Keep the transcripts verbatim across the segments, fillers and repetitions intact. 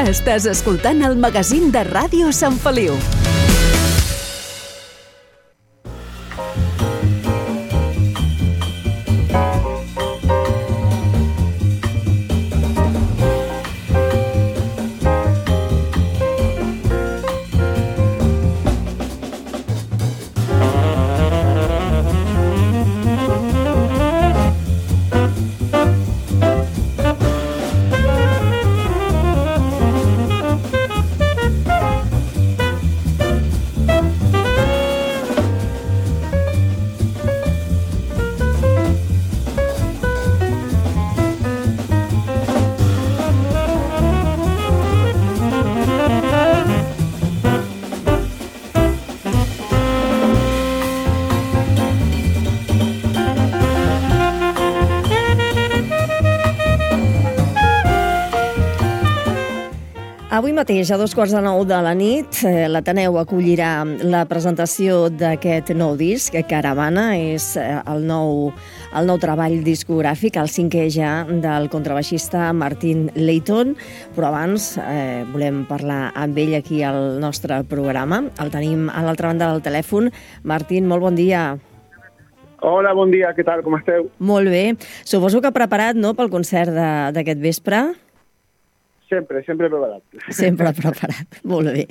Estàs escoltant el magazín de Ràdio Sant Feliu. Avui mateix, a dos quarts de nou de la nit, l'Ateneu acollirà la presentació d'aquest nou disc, Caravana. És el nou, el nou treball discogràfic, el cinquè ja, del contrabaixista Martin Layton. Però abans eh, volem parlar amb ell aquí al nostre programa. El tenim a l'altra banda del telèfon. Martin, molt bon dia. Hola, bon dia, què tal, com esteu? Molt bé. Suposo que preparat, no?, pel concert d'aquest vespre? Sempre, sempre preparat. Sempre preparat, molt bé.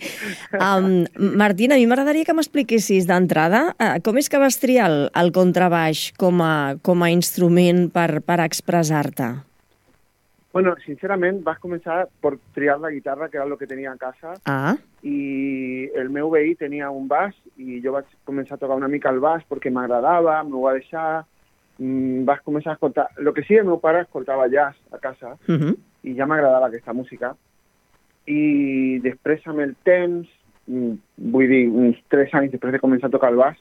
Um, Martín, a mi m'agradaria que m'expliquessis d'entrada uh, com és que vas triar el, el contrabaix com a, com a instrument per, per expressar-te? Bueno, sincerament, vas començar per triar la guitarra, que era el que tenia a casa, ah. i el meu veí tenia un baix, i jo vaig començar a tocar una mica el baix perquè m'agradava, m'ho va deixar, mm, vas començar a escoltar... El que sí, el meu pare escoltava jazz a casa, uh-huh. i ja m'agradava aquesta música. I després, amb el temps, vull dir, uns tres anys després de començar a tocar el baix,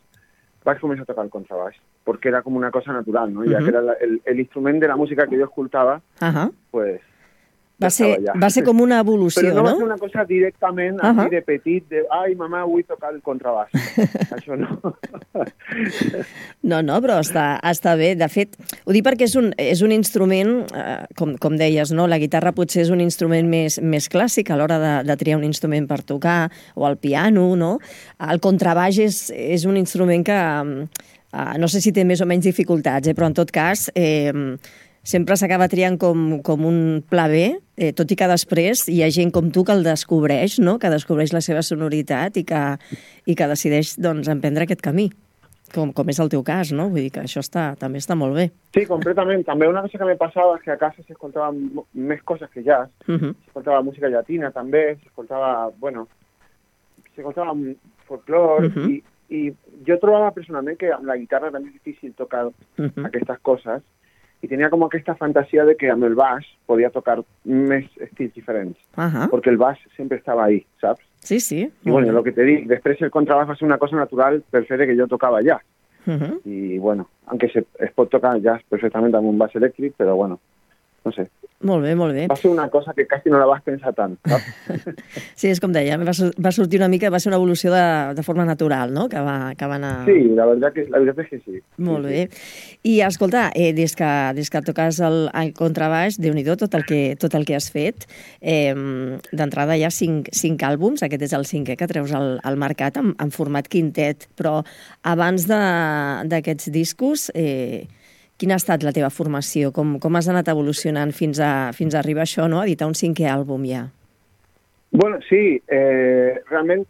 vaig començar a tocar el contrabaix, perquè era com una cosa natural, no? Uh-huh. Ja que era l'instrument de la música que jo escoltava, uh-huh. pues... Va ser, va ser com una evolució, no? Però no, no va ser una cosa directament, uh-huh. així de petit, de, ai, mamà, vull tocar el contrabaix. Això no. No, no, però està, està bé. De fet, ho dic perquè és un, és un instrument, eh, com, com deies, no? La guitarra potser és un instrument més, més clàssic a l'hora de, de triar un instrument per tocar, o el piano, no? El contrabaix és, és un instrument que, eh, no sé si té més o menys dificultats, eh, però en tot cas... Eh, sempre s'acaba triant com, com un pla B, eh, tot i que després hi ha gent com tu que el descobreix, no? Que descobreix la seva sonoritat i que, i que decideix doncs, emprendre aquest camí, com, com és el teu cas, no? Vull dir que això està, també està molt bé. Sí, completament. També una cosa que me passava és que a casa s'escoltava més coses que jazz. Uh-huh. S'escoltava música llatina també, s'escoltava, bueno, s'escoltava folclore, uh-huh. i, i jo trobava personalment que amb la guitarra era més difícil tocar uh-huh. aquestes coses, i tenia com aquesta fantasia de que amb el baix podia tocar més estils diferents, uh-huh. perquè el baix sempre estava ahí, saps? Sí, sí. I bueno, el que te dic, després el contrabaix va ser una cosa natural per fer que jo tocava jazz. Uh-huh. I bueno, aunque se, es pot tocar jazz perfectament amb un baix elèctric, però bueno, no sé. Molt bé, molt bé. Va ser una cosa que quasi no la vas pensar tant, saps? Sí, és com deia, va, va sortir una mica, va ser una evolució de, de forma natural, no?, que va, que va anar... Sí, la veritat, que, la veritat és que sí. Molt sí, bé. Sí. I escolta, eh, des, que, des que toques el, el contrabaix, Déu-n'hi-do tot el que, tot el que has fet, eh, d'entrada hi ha cinc, cinc àlbums, aquest és el cinquè que treus al, al mercat en, en format quintet, però abans d'aquests discos... Eh, quina ha estat la teva formació? Com, com has anat evolucionant fins a, fins a arribar a això, no?, a editar un cinquè àlbum ja? Bueno, sí. Eh, realment,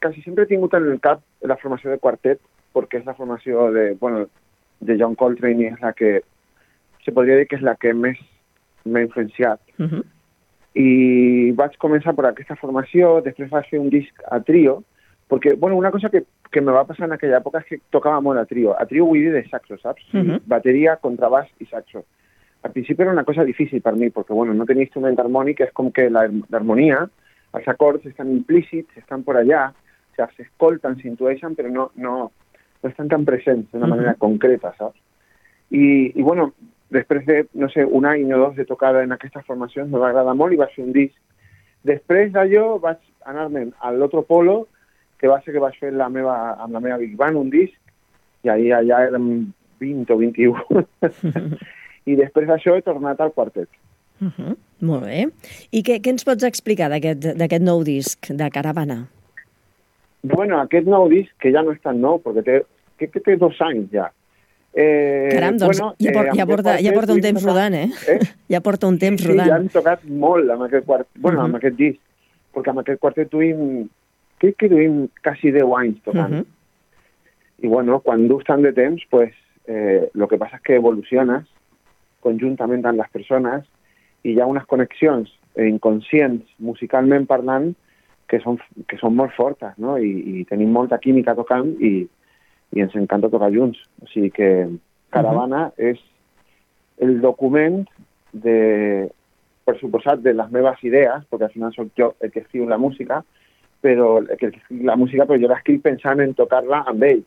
quasi sempre he tingut en el cap la formació de quartet, perquè és la formació de, bueno, de John Coltrane i és la que, se podria dir que és la que més m'ha influenciat. Uh-huh. I vaig començar per aquesta formació, després vaig fer un disc a trio, perquè, bueno, una cosa que que me va passar en aquella època és que tocava molt a trio. A trio vull dir de saxo, saps? Uh-huh. Bateria, contrabaix i saxo. Al principi era una cosa difícil per mi, perquè, bueno, no tenia instrument harmònic, és com que l'harmonia, els acords estan implícits, estan por allà, o sigui, s'escolten, s'intueixen, però no, no, no estan tan presents d'una uh-huh. manera concreta, saps? I, i, bueno, després de, no sé, un any o dos de tocar en aquestes formacions, me va agradar molt i vaig fer un disc. Després d'allò vaig anar-me'n a l'altre polo, que va ser que vaig fer la meva, amb la meva Big Band un disc, i allà ja érem vint o vint-i-u. I després d'això he tornat al quartet. Uh -huh. Molt bé. I què, què ens pots explicar d'aquest nou disc, de Caravana? Bueno, aquest nou disc, que ja no és tan nou, perquè té, que, que té dos anys ja. Eh, Caram, doncs bueno, ja, por, eh, ja, porta, ja porta un temps tocat, rodant, eh? eh? Ja porta un temps sí, rodant. Sí, ja hem tocat molt amb aquest quart, bueno, uh -huh. amb aquest disc, perquè amb aquest quartet duim, crec que duim quasi deu anys tocant. Uh -huh. I bueno, quan dus tant de temps, pues, eh, lo que passa és que evoluciones conjuntament amb les persones i hi ha unes connexions inconscients, musicalment parlant, que són, que són molt fortes, no? I, i tenim molta química tocant i, i ens encanta tocar junts. O sigui que Caravana uh -huh. és el document de, per suposat, de les meves idees, perquè al final soc jo el que escriu la música, però el que escriu la música, però jo l'escric pensant en tocar-la amb ells.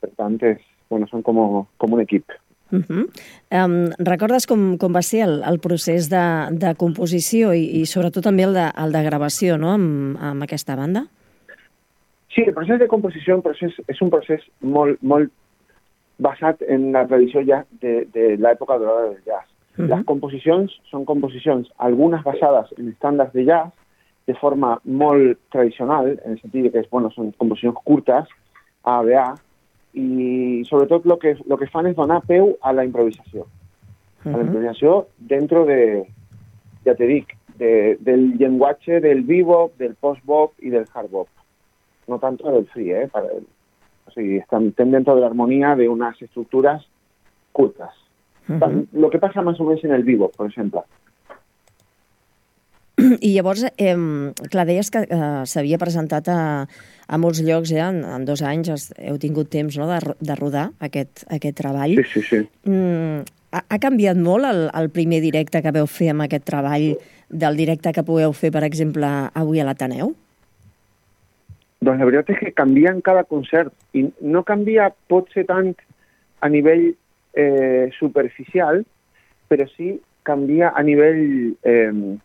Per tant, és, bueno, són com, com un equip. Uh -huh. um, recordes com, com va ser el, el procés de, de composició i, i sobretot també el de, el de gravació, no?, amb, amb aquesta banda? Sí, el procés de composició procés, és un procés molt, molt basat en la tradició ja de, de l'època dorada del jazz. Uh -huh. Les composicions són composicions, algunes basades en estàndards de jazz, de forma molt tradicional, en el sentit que és, bueno, són composicions curtes, A, B, A, i sobretot el que, lo que fan és donar peu a la improvisació. Uh -huh. A la improvisació dentro de, ja te dic, de, del llenguatge del bebop, del post-bop i del hard-bop. No tanto del free, ¿eh? Para, o sigui, están dentro de la armonía de unas estructuras curtas. Uh -huh. Lo que pasa más o menos en el bebop, por exemple. I llavors, eh, clar, deies que eh, s'havia presentat a, a molts llocs, eh? En, en dos anys heu tingut temps, no?, de, de rodar aquest, aquest treball. Sí, sí, sí. Mm, ha, ha canviat molt el, el primer directe que veu fer amb aquest treball del directe que pugueu fer, per exemple, avui a l'Ateneu? Doncs la veritat és que canvia en cada concert i no canvia potser tant a nivell eh, superficial, però sí canvia a nivell... Eh,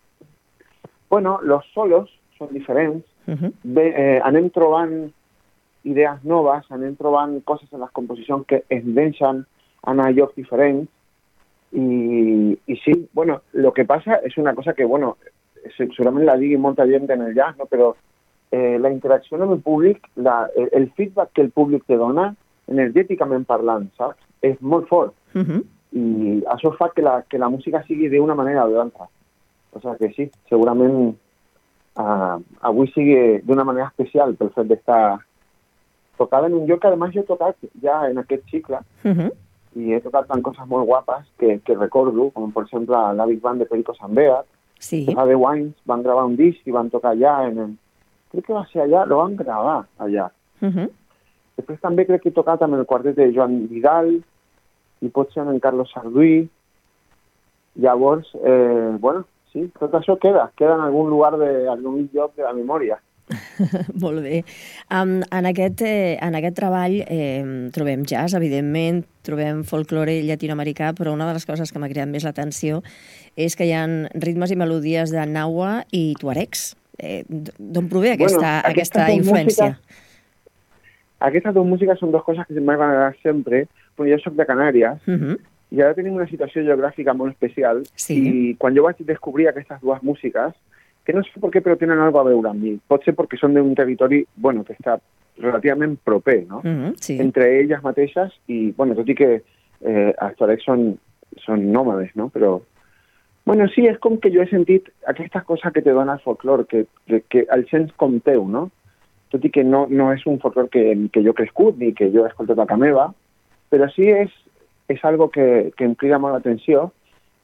bueno, los solos són diferents, uh-huh. Bé, eh, anem trobant idees noves, anem trobant coses en les composicions que ens deixen anar a llocs diferents i, i sí, bueno, lo que passa és una cosa que, bueno, segurament la digui molta gent en el jazz, no? Però eh, la interacció amb el públic, la, el, el feedback que el públic te dona, energèticament parlant, saps? És molt fort. Uh-huh. I això fa que la, que la música sigui d'una manera o de l'altra. O sigui que sí, segurament uh, avui sigui d'una manera especial pel fet d'estar tocada en un lloc que, a més, jo he tocat ja en aquest cicle uh-huh. i he tocat en coses molt guapes que, que recordo, com per exemple la Big Band de Perico Sambeat. Sí. Fa deu anys van gravar un disc i van tocar allà, en el... crec que va ser allà, lo van gravar allà. Uh-huh. Després també crec que he tocat amb el quartet de Joan Vidal i potser amb en Carlos Sarduí. Llavors, eh, bueno, sí, tot això queda, queda en algun lugar, de, en algun lloc de la memòria. Molt bé. Um, en, aquest, eh, en aquest treball eh, trobem jazz, evidentment, trobem folklore llatinoamericà, però una de les coses que m'ha cridat més l'atenció és que hi ha ritmes i melodies de naua i tuaregs. Eh, D'on prové aquesta, bueno, aquesta, aquesta influència? Músiques, aquestes dues músiques són dues coses que se m'han agradat sempre, però jo soc de Canàries, uh-huh. i ara tenim una situació geogràfica molt especial, sí. I quan jo vaig descobrir aquestes dues músiques, que no sé per què, però tenen alguna a veure amb mi. Pot ser perquè són d'un territori, bueno, que està relativament proper, no? Uh-huh, sí. Entre elles mateixes, i, bueno, tot i que eh, els tuaregs són, són nòmades, no? Però, bueno, sí, és com que jo he sentit aquestes coses que te dona el folclore, que, que, que el sents com teu, no? Tot i que no, no és un folclore que, que jo he crescut, ni que jo he escoltat a casa meva, però sí és és algo que, que em crida molt l'atenció,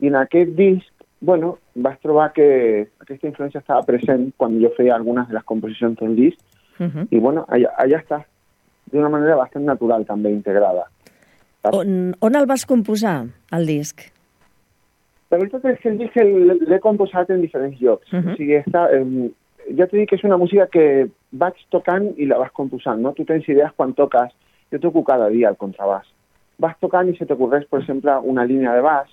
i en aquest disc, bueno, vaig trobar que aquesta influència estava present quan jo feia algunes de les composicions del disc, uh-huh. i bueno, allà, allà està, d'una manera bastant natural també integrada. On, on el vas composar, el disc? La veritat és que el disc l'he composat en diferents llocs, uh-huh. o sigui, està, eh, ja t'he dit que és una música que vaig tocant i la vas composant, no? Tu tens idees quan toques, jo toco cada dia el contrabàs, vas tocant i se t'ocorreix, per exemple, una línia de baix.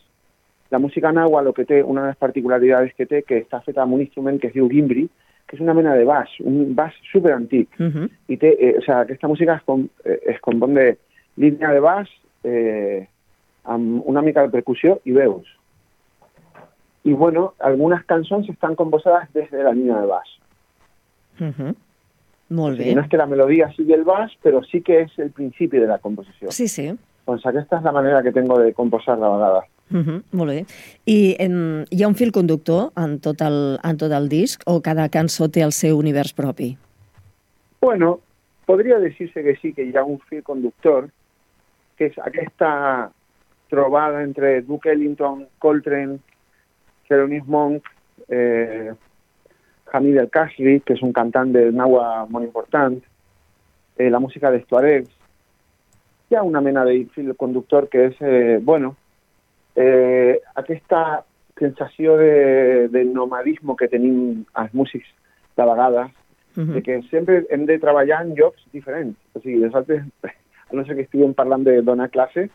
La música naua, lo que té, una de les particularitats que té, que està feta amb un instrument que es diu gimbri, que és una mena de baix, un baix superantic. Uh-huh. I té, eh, o sea, aquesta música es, com, eh, es compon de línia de baix, eh, amb una mica de percussió i veus. i bueno, algunes cançons estan composades des de la línia de baix. Uh-huh. Molt bé. O sigui, no és que la melodia sigui el baix, però sí que és el principi de la composició. Sí, sí. Doncs aquesta és la manera que tengo de composar de vegades. Uh-huh. Molt bé. I em, hi ha un fil conductor en tot, el, en tot el disc o cada cançó té el seu univers propi? Bueno, podria dir-se que sí, que hi ha un fil conductor, que és aquesta trobada entre Duke Ellington, Coltrane, Thelonious Monk, eh, Hamid El Kashri, que és un cantant de nahua molt important, eh, la música de Tuaregs. Hi ha una mena de fil conductor que és, eh, bueno, eh, aquesta sensació de, de nomadisme que tenim els músics de vegades, uh-huh. de que sempre hem de treballar en llocs diferents. O sigui, nosaltres, a no ser que estiguem parlant de donar classe,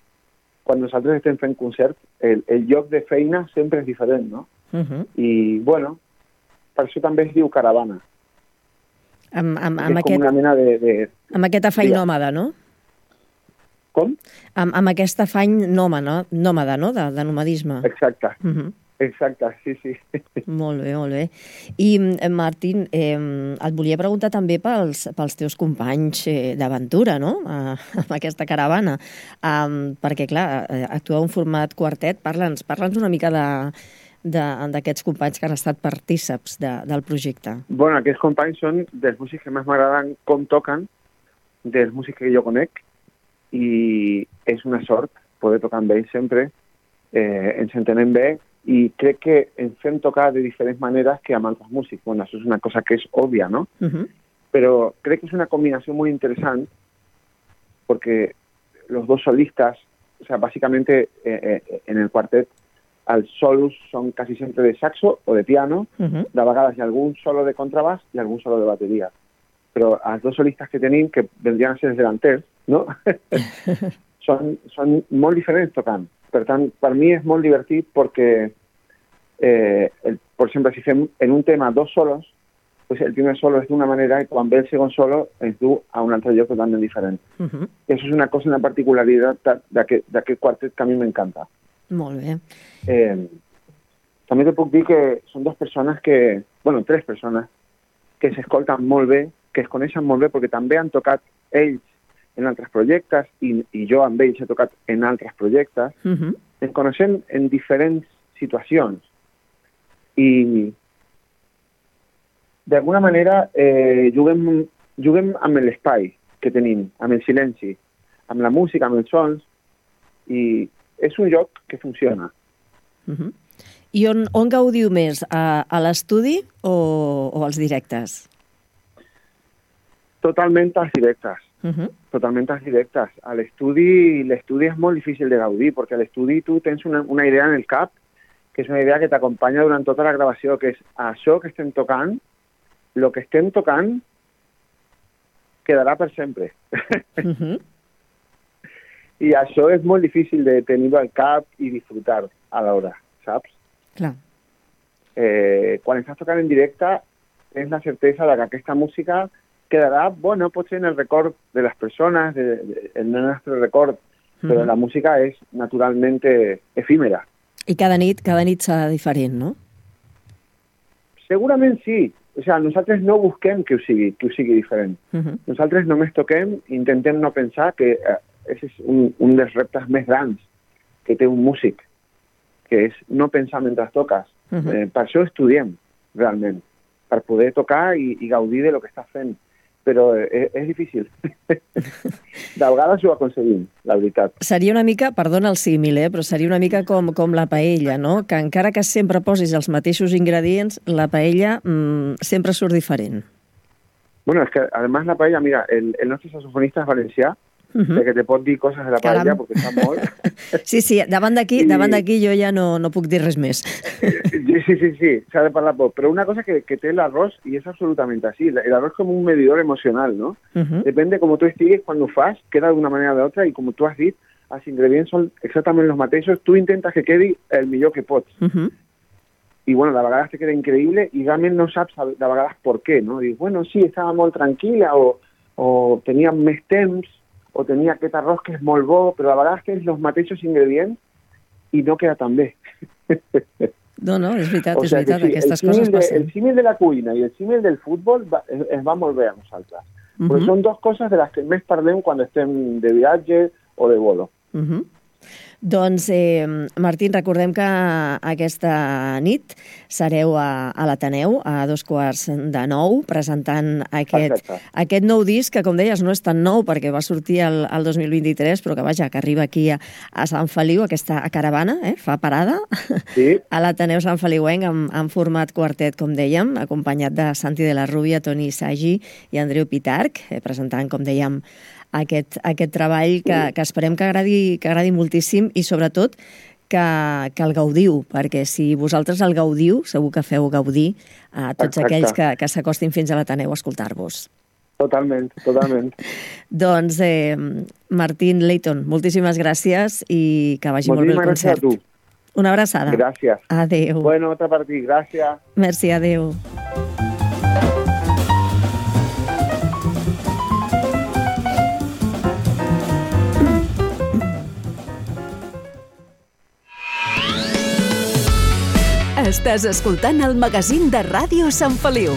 quan nosaltres estem fent concert, el, el lloc de feina sempre és diferent, no? Uh-huh. I, bueno, per això també es diu caravana. Amb, amb, amb, és aquest, com una mena de... de amb aquest afany de... nòmada, no? Com? Amb, amb aquest afany nòmada, nòmada, no? De, de nomadisme. Exacte. Uh-huh. Exacte, sí, sí. Molt bé, molt bé. I, Martín, eh, et volia preguntar també pels, pels teus companys eh, d'aventura, no?, eh, amb aquesta caravana. Um, perquè, clar, eh, actuar un format quartet, parla'ns parla'ns una mica de d'aquests companys que han estat partíceps de, del projecte. Bueno, aquests companys són dels músics que més m'agraden com toquen, dels músics que jo conec, i és una sort poder tocar amb ells sempre, eh, ens entenem bé, i crec que ens fem tocar de diferents maneres que amb altres músics. Bueno, això és una cosa que és òbvia, no? Uh-huh. Però crec que és una combinació muy interessant porque los dos solistas, o sea, básicamente eh, eh, en el cuartet, els solos són quasi sempre de saxo o de piano, uh-huh. de vegades hi ha algun solo de contrabaix i algun solo de bateria. Però els dos solistes que tenim, que vendrien a ser els delanters, no? són, són molt diferents tocant. Per tant, per mi és molt divertit perquè, eh, el, per exemple, si fem en un tema dos solos, pues el primer solo és d'una manera i quan ve el segon solo ens du a un altre lloc totalment diferent. Uh-huh. Eso és una cosa, una particularitat d'aquest quartet que a mi m'encanta. Molt bé. Eh, també te puc dir que són dues persones que, bueno, tres persones, que s'escolten molt bé, que es coneixen molt bé perquè també han tocat ells en altres projectes i, i jo amb ells he tocat en altres projectes. Uh-huh. Ens coneixem en diferents situacions i d'alguna manera eh, juguem, juguem amb l'espai que tenim, amb el silenci, amb la música, amb els sons, i és un joc que funciona. Uh-huh. I on, on gaudiu més? A, a l'estudi o, o als directes? Totalment als directes. Uh-huh. Totalment als directes. A l'estudi, l'estudi és molt difícil de gaudir, perquè a l'estudi tu tens una, una idea en el cap, que és una idea que t'acompanya durant tota la gravació, que és això que estem tocant, el que estem tocant quedarà per sempre. Uh-huh. I això és molt difícil de tenir-ho al cap i disfrutar a l'hora, saps? Clar. Eh, quan estàs tocant en directe, tens la certesa de que aquesta música quedarà, bueno, potser en el record de les persones, de, de, en el nostre record, però uh-huh. la música és naturalment efímera. I cada nit, cada nit serà diferent, no? Segurament sí. O sea, nosaltres no busquem que ho sigui, que ho sigui diferent. Uh-huh. Nosaltres només toquem i intentem no pensar que eh, és un, un dels reptes més grans que té un músic, que és no pensar mentre toques. Uh-huh. Eh, per això estudiem, realment, per poder tocar i, i gaudir de lo que estàs fent. Però és, és difícil. De vegades ho aconseguim, la veritat. Seria una mica, perdona el símil, eh, però seria una mica com, com la paella, no? Que encara que sempre posis els mateixos ingredients, la paella mmm, sempre surt diferent. Bueno, es que además la paella, mira, el, el nostre saxofonista és valencià, uh-huh. que te pot dir coses de la paella, Caram. Perquè està molt... Sí, sí, davant d'aquí I... davant d'aquí jo ja no, no puc dir res més. Sí, sí, sí, s'ha de parlar poc. Però una cosa que, que té l'arròs, i és absolutament així, l'arròs com un medidor emocional, no? Uh-huh. Depèn de com tu estiguis, quan ho fas, queda d'una manera o d'altra, i com tu has dit, els ingredients són exactament els mateixos, tu intentes que quedi el millor que pots. Uh-huh. I, bueno, de vegades te queda increïble i realment no saps de vegades per què, no? Dius, bueno, sí, estava molt tranquil·la, o, o tenia més temps, o tenia aquest arròs que és molt bo, però a vegades tens els mateixos ingredients i no queda tan bé. No, no, és veritat, o és sea veritat, sí, aquestes el coses de, passen. El símil de la cuina i el símil del futbol va, es, es va molt bé a nosaltres. Uh -huh. Perquè són dues coses de les que més parlem quan estem de viatge o de bolo. Uh -huh. Doncs, eh, Martín, recordem que aquesta nit sereu a, a l'Ateneu a dos quarts de nou presentant aquest, aquest nou disc que, com deies, no és tan nou perquè va sortir el, el dos mil vint-i-tres, però que, vaja, que arriba aquí a, a Sant Feliu, aquesta caravana, eh, fa parada, sí. a l'Ateneu Sant Feliuenc en, en format quartet, com dèiem, acompanyat de Santi de la Rubia, Toni Sagi i Andreu Pitarch, eh, presentant, com dèiem, aquest, aquest treball que, que esperem que agradi, que agradi moltíssim i, sobretot, que, que el gaudiu, perquè si vosaltres el gaudiu, segur que feu gaudir a tots Exacte. aquells que, que s'acostin fins a l'Ateneu a escoltar-vos. Totalment, totalment. Doncs, eh, Martín Leighton, moltíssimes gràcies i que vagi moltíssimes molt bé el concert. Gràcies a tu. Una abraçada. Gràcies. Adéu. Bueno, otra per ti, gràcies. Merci, adéu. Estàs escoltant el magazín de Ràdio Sant Feliu.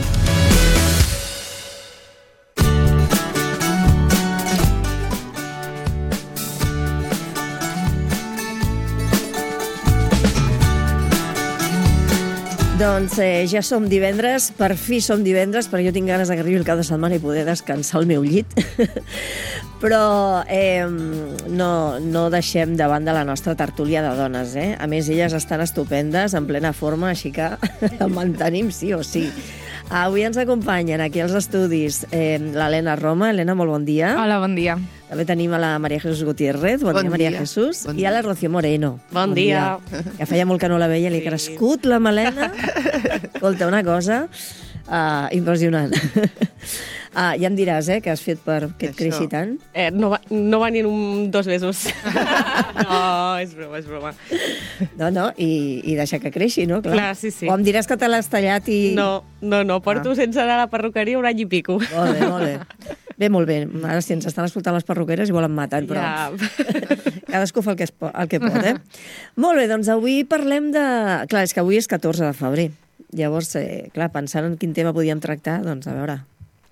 Doncs eh, ja som divendres, per fi som divendres, perquè jo tinc ganes que arribi el cap de setmana i poder descansar al meu llit. Però eh, no, no deixem de banda la nostra tertúlia de dones, eh? A més, elles estan estupendes, en plena forma, així que el mantenim sí o sí. Avui ens acompanyen aquí als estudis eh, l'Helena Roma. Helena, molt bon dia. Hola, bon dia. També tenim a la Maria Jesús Gutiérrez. Bon, bon dia, Maria dia. Jesús. Bon I a la Rocío Moreno. Bon, bon dia. dia. Que feia molt que no la veia, li ha crescut la melena. Escolta, una cosa uh, impressionant. Ah, ja em diràs, eh, què has fet per que et creixi tant? Eh, no, va, no va ni en un, dos mesos. No, és broma, és broma. No, no, i, i deixar que creixi, no? Clar. Clar, sí, sí. O em diràs que te l'has tallat i... No, no, no, porto ah. sense anar a la perruqueria un any i pico. Molt bé, molt bé. Bé, molt bé. Ara si ens estan escoltant les perruqueres i volen matar, però... Ja. Cadascú fa el que, es pot, el que pot, eh? Molt bé, doncs avui parlem de... Clar, és que avui és catorze de febrer. Llavors, eh, clar, pensant en quin tema podíem tractar, doncs a veure...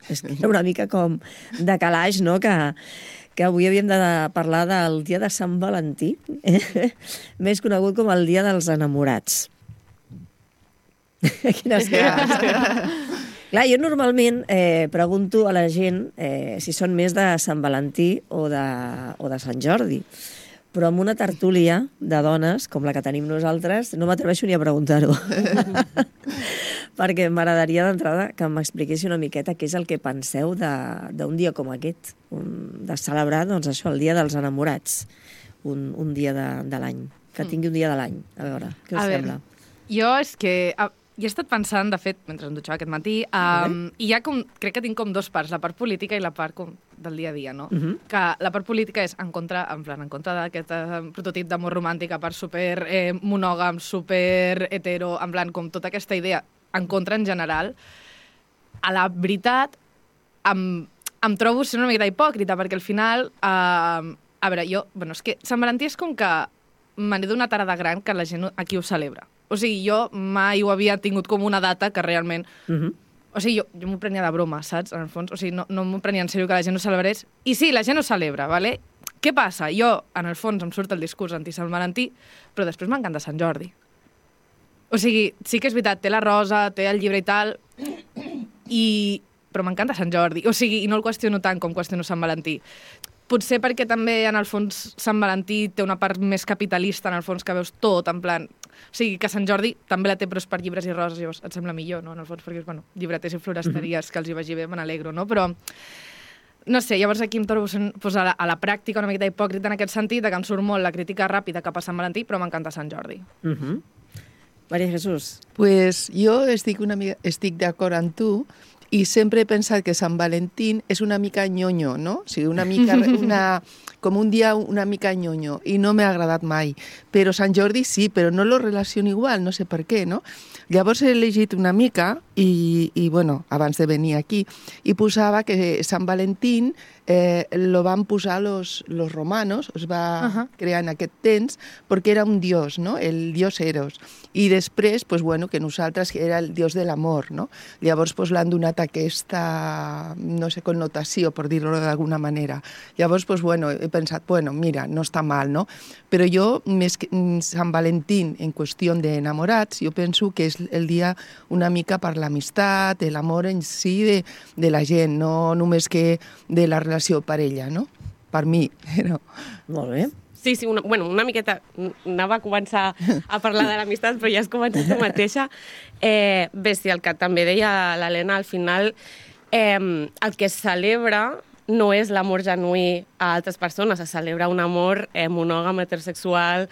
És que era una mica com de calaix, no?, que, que avui havíem de parlar del dia de Sant Valentí, eh? Més conegut com el dia dels enamorats. Quines cares. Clar, jo normalment eh, pregunto a la gent eh, si són més de Sant Valentí o de, o de Sant Jordi. Però amb una tertúlia de dones, com la que tenim nosaltres, no m'atreveixo ni a preguntar-ho. Perquè m'agradaria d'entrada que m'expliquessi una miqueta què és el que penseu d'un dia com aquest, un, de celebrar, doncs això, el dia dels enamorats, un, un dia de, de l'any, que tingui un dia de l'any. A veure, què us a sembla? Veure, jo és que... A... Jo he estat pensant, de fet, mentre em dutxava aquest matí, um, i ja com, crec que tinc com dos parts, la part política i la part com del dia a dia, no? Uh-huh. Que la part política és en contra, en plan, en contra d'aquest uh, prototip d'amor romàntic a part super eh, monògam, super hetero, en plan, com tota aquesta idea en contra en general. A la veritat, em, em trobo sent una miqueta hipòcrita, perquè al final, uh, a veure, jo, bueno, és que Sant Valentí és com que me n'he donat ara de gran que la gent aquí ho celebra. O sigui, jo mai ho havia tingut com una data que realment... Uh-huh. O sigui, jo, jo m'ho prenia de broma, saps? En el fons, o sigui, no, no m'ho prenia en sèrio que la gent ho celebrés. I sí, la gent ho celebra, ¿vale? Què passa? Jo, en el fons, em surt el discurs anti-Sant Valentí, però després m'encanta Sant Jordi. O sigui, sí que és veritat, té la rosa, té el llibre i tal, i... però m'encanta Sant Jordi. O sigui, i no el qüestiono tant com qüestiono Sant Valentí. Potser perquè també, en el fons, Sant Valentí té una part més capitalista, en el fons, que veus tot, en plan... O sigui, que Sant Jordi també la té, però és per llibres i roses, llavors et sembla millor, no?, en el fons, perquè és, bueno, llibreters i floresteries, que els hi vagi bé, me n'alegro, no? Però, no sé, llavors aquí em trobo pues, a, la, a la pràctica una miqueta hipòcrita en aquest sentit, que em surt molt la crítica ràpida cap a Sant Valentí, però m'encanta Sant Jordi. Uh -huh. Maria Jesús. Pues jo estic, una mica, estic d'acord amb tu, i sempre he pensat que Sant Valentín és una mica ñoño, no? O sigui, una mica, una, com un dia una mica ñoño, i no m'ha agradat mai. Però Sant Jordi sí, però no lo relaciono igual, no sé per què, no? Llavors he llegit una mica, i, i bueno, abans de venir aquí, i posava que Sant Valentín eh, lo van posar los, los romanos, es va Uh-huh. crear en aquest temps, perquè era un dios, no? El dios Eros. I després, pues, bueno, que nosaltres era el dios de l'amor, no? Llavors pues, l'han donat aquesta, no sé, connotació, per dir-ho d'alguna manera. Llavors, pues, bueno, he pensat, bueno, mira, no està mal, no? Però jo, més que Sant Valentín, en qüestió d'enamorats, jo penso que és el dia una mica per l'amistat, l'amor en si de, de la gent, no només que de la relació parella, no? Per mi, no? Molt bé. Sí, sí, una, bueno, una miqueta anava a començar a parlar de l'amistat, però ja has començat tu mateixa. Eh, bé, sí, el que també deia l'Helena, al final eh, el que es celebra no és l'amor genuí a altres persones, es celebra un amor eh, monògam, heterosexual,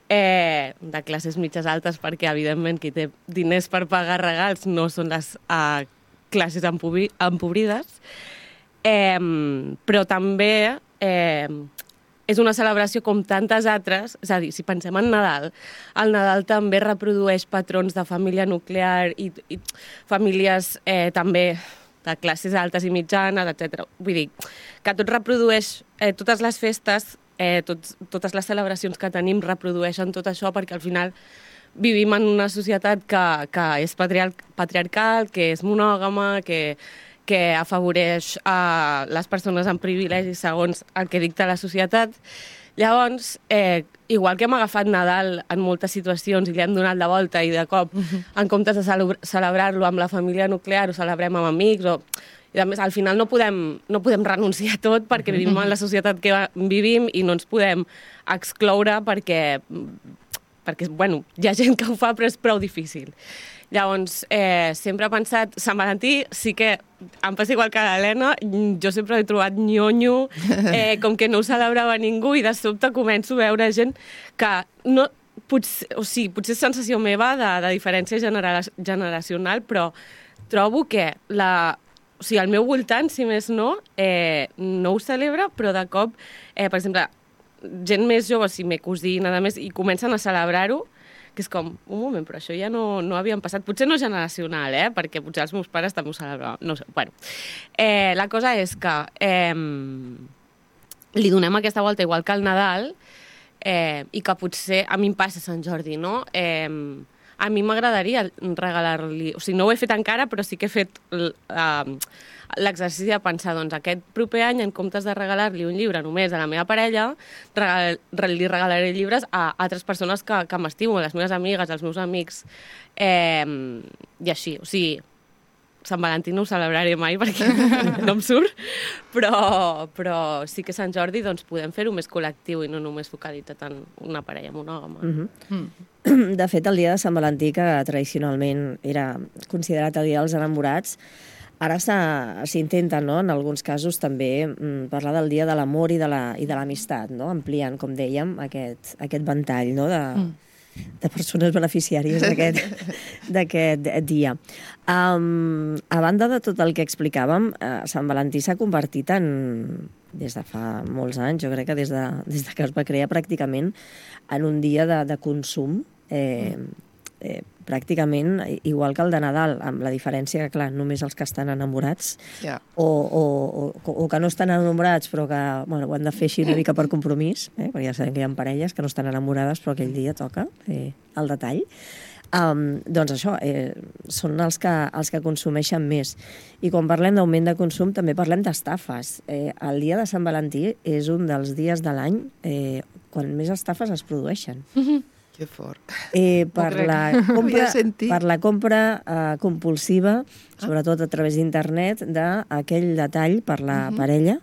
eh, de classes mitges altes, perquè, evidentment, qui té diners per pagar regals no són les eh, classes empobri empobrides, eh, però també eh, és una celebració com tantes altres, és a dir, si pensem en Nadal, el Nadal també reprodueix patrons de família nuclear i, i famílies eh, també de classes altes i mitjanes, etcètera. Vull dir, que tot reprodueix, eh, totes les festes, eh, tots, totes les celebracions que tenim reprodueixen tot això perquè al final vivim en una societat que, que és patriar patriarcal, que és monògama, que, que afavoreix a les persones amb privilegis segons el que dicta la societat. Llavors, eh, igual que hem agafat Nadal en moltes situacions i li hem donat la volta i de cop, uh-huh. en comptes de celebrar-lo amb la família nuclear, ho celebrem amb amics, o... I a més, al final no podem, no podem renunciar a tot perquè vivim en la societat que vivim i no ens podem excloure perquè, perquè bueno, hi ha gent que ho fa però és prou difícil. Llavors, eh, sempre he pensat, Sant Valentí sí que em passa igual que l'Helena, jo sempre he trobat nyonyo, eh, com que no ho celebrava ningú i de sobte començo a veure gent que no, potser, o sigui, potser és sensació meva de, de diferència genera generacional, però trobo que la, o sigui, al meu voltant, si més no, eh, no ho celebra, però de cop, eh, per exemple, gent més jove, si m'he cosina, a més, i comencen a celebrar-ho, que és com, un moment, però això ja no, no havien passat. Potser no generacional, eh? Perquè potser els meus pares també ho celebraven. No sé, bueno. Eh, la cosa és que eh, li donem aquesta volta igual que al Nadal eh, i que potser a mi em passa Sant Jordi, no? Eh, a mi m'agradaria regalar-li... O sigui, no ho he fet encara, però sí que he fet uh, l'exercici de pensar, doncs, aquest proper any, en comptes de regalar-li un llibre només a la meva parella, regal li regalaré llibres a altres persones que, que m'estimo, les meves amigues, els meus amics, eh, i així. O sigui, Sant Valentí no ho celebraré mai perquè no em surt, però, però sí que Sant Jordi doncs, podem fer-ho més col·lectiu i no només focalitzat en una parella monògama. Mm-hmm. Mm. De fet, el dia de Sant Valentí, que tradicionalment era considerat el dia dels enamorats, ara s'intenta, no?, en alguns casos també mm, parlar del dia de l'amor i de l'amistat, no?, ampliant, com dèiem, aquest, aquest ventall, no?, de... Mm. de persones beneficiàries d'aquest dia. Um, a banda de tot el que explicàvem, uh, Sant Valentí s'ha convertit en, des de fa molts anys, jo crec que des de, des de que es va crear pràcticament, en un dia de, de consum, eh, eh, pràcticament igual que el de Nadal, amb la diferència que, clar, només els que estan enamorats yeah. o, o, o, o que no estan enamorats però que bueno, ho han de fer així una mica per compromís, eh? Perquè ja sabem que hi ha parelles que no estan enamorades però aquell dia toca fer el detall. Um, doncs això, eh, són els que, els que consumeixen més. I quan parlem d'augment de consum també parlem d'estafes. Eh, el dia de Sant Valentí és un dels dies de l'any eh, quan més estafes es produeixen. Mm-hmm. Que fort. Eh, per, la compra, per la compra eh, compulsiva, sobretot a través d'internet, d'aquell detall per la uh-huh. parella,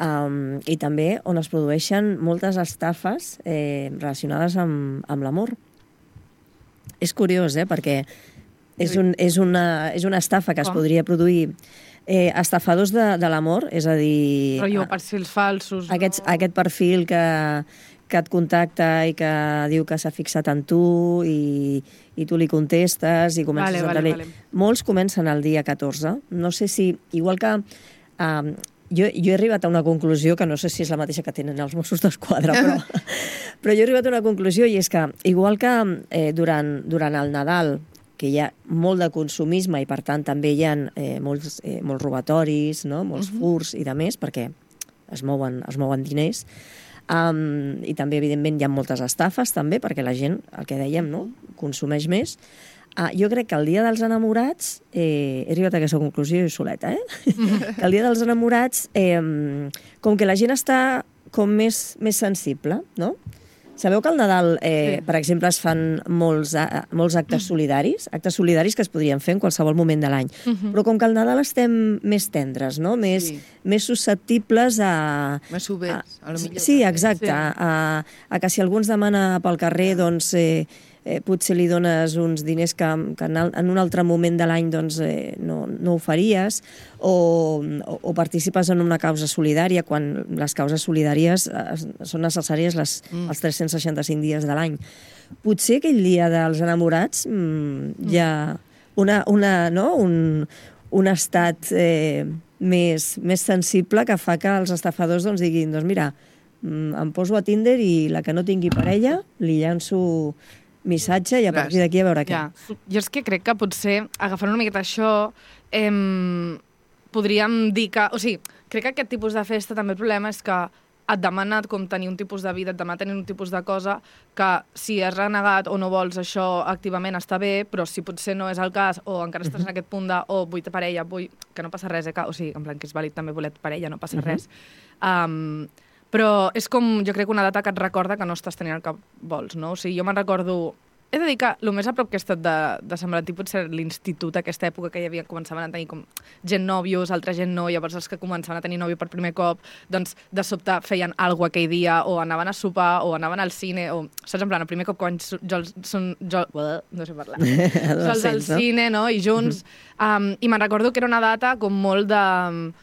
um, i també on es produeixen moltes estafes eh, relacionades amb, amb l'amor. És curiós, eh?, perquè és, un, és, una, és una estafa que es podria produir eh, estafadors de, de l'amor, és a dir... Rotllo perfils falsos. Aquests, no? Aquest perfil que... que et contacta i que diu que s'ha fixat en tu i, i tu li contestes i comences vale, a... Vale, vale. Molts comencen el dia catorze. No sé si... Igual que... Um, jo, jo he arribat a una conclusió que no sé si és la mateixa que tenen els Mossos d'Esquadra, però, però jo he arribat a una conclusió i és que, igual que eh, durant, durant el Nadal, que hi ha molt de consumisme i, per tant, també hi ha eh, molts, eh, molts robatoris, no? Molts uh-huh. furs i de més, perquè es mouen, es mouen diners. Um, I també, evidentment, hi ha moltes estafes, també, perquè la gent, el que dèiem, no? consumeix més. Uh, jo crec que el dia dels enamorats, eh, he arribat a aquesta conclusió jo soleta, eh? que el dia dels enamorats, eh, com que la gent està com més, més sensible, no? Sabeu que al Nadal, eh, sí. per exemple, es fan molts, a, molts actes solidaris, actes solidaris que es podrien fer en qualsevol moment de l'any. Uh -huh. Però com que al Nadal estem més tendres, no? més, sí. més susceptibles a... Més oberts, a, a lo millor. Sí, exacte. Sí. A, a que si algú ens demana pel carrer, doncs... Eh, Eh, potser li dones uns diners que, que en un altre moment de l'any doncs, eh, no, no ho faries, o, o, o participes en una causa solidària, quan les causes solidàries eh, són necessàries les, mm. els tres-cents seixanta-cinc dies de l'any. Potser aquell dia dels enamorats mm, hi ha una, una, no? un, un estat eh, més, més sensible que fa que els estafadors doncs, diguin, doncs mira, mm, em poso a Tinder i la que no tingui parella li llanço missatge i a partir d'aquí a veure què. Ja. Jo és que crec que potser, agafant una miqueta això, eh, podríem dir que... O sigui, crec que aquest tipus de festa també el problema és que et demana com tenir un tipus de vida, et demana tenir un tipus de cosa que si has renegat o no vols això activament està bé, però si potser no és el cas o encara estàs en aquest punt de oh, vull parella, vull... que no passa res, eh? Que, o sigui, en plan que és vàlid també voler parella, no passa uh-huh. res. Um, Però és com, jo crec, una data que et recorda que no estàs tenint el que vols, no? O sigui, jo me'n recordo... He de dir que el més a prop que he estat de, de Sant Valentí potser l'institut, aquesta època que hi havia, començaven a tenir com gent nòvios, altra gent no, llavors els que començaven a tenir nòvio per primer cop, doncs de sobte feien alguna aquell dia, o anaven a sopar, o anaven al cine, o... Saps, en plan, el primer cop quan jo, són... Jo, no sé parlar. Sols al cine, no? I junts. Um, I me'n recordo que era una data com molt de...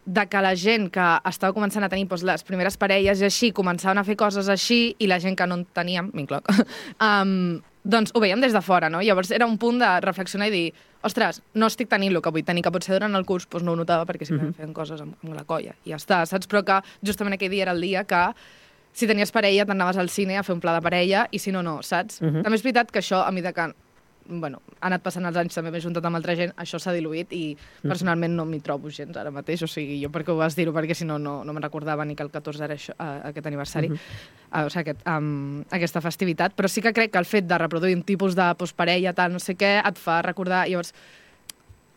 de que la gent que estava començant a tenir doncs, les primeres parelles i així, començaven a fer coses així, i la gent que no en teníem, m'incloc, um, doncs ho veiem des de fora, no? Llavors era un punt de reflexionar i dir, ostres, no estic tenint el que vull tenir, que potser durant el curs doncs no ho notava perquè sempre uh-huh. feien coses amb, amb la colla, i ja està, saps? Però que justament aquell dia era el dia que si tenies parella t'anaves al cine a fer un pla de parella, i si no, no, saps? Uh-huh. També és veritat que això, a mesura que bueno, ha anat passant els anys, també m'he juntat amb altra gent, això s'ha diluït i personalment no m'hi trobo gens ara mateix, o sigui, jo per què ho vas dir-ho, perquè si no, no, no me'n recordava ni que el catorze era això, uh, aquest aniversari, uh -huh. uh, o sigui, aquest, um, aquesta festivitat, però sí que crec que el fet de reproduir un tipus de postparella, tal, no sé què, et fa recordar, llavors,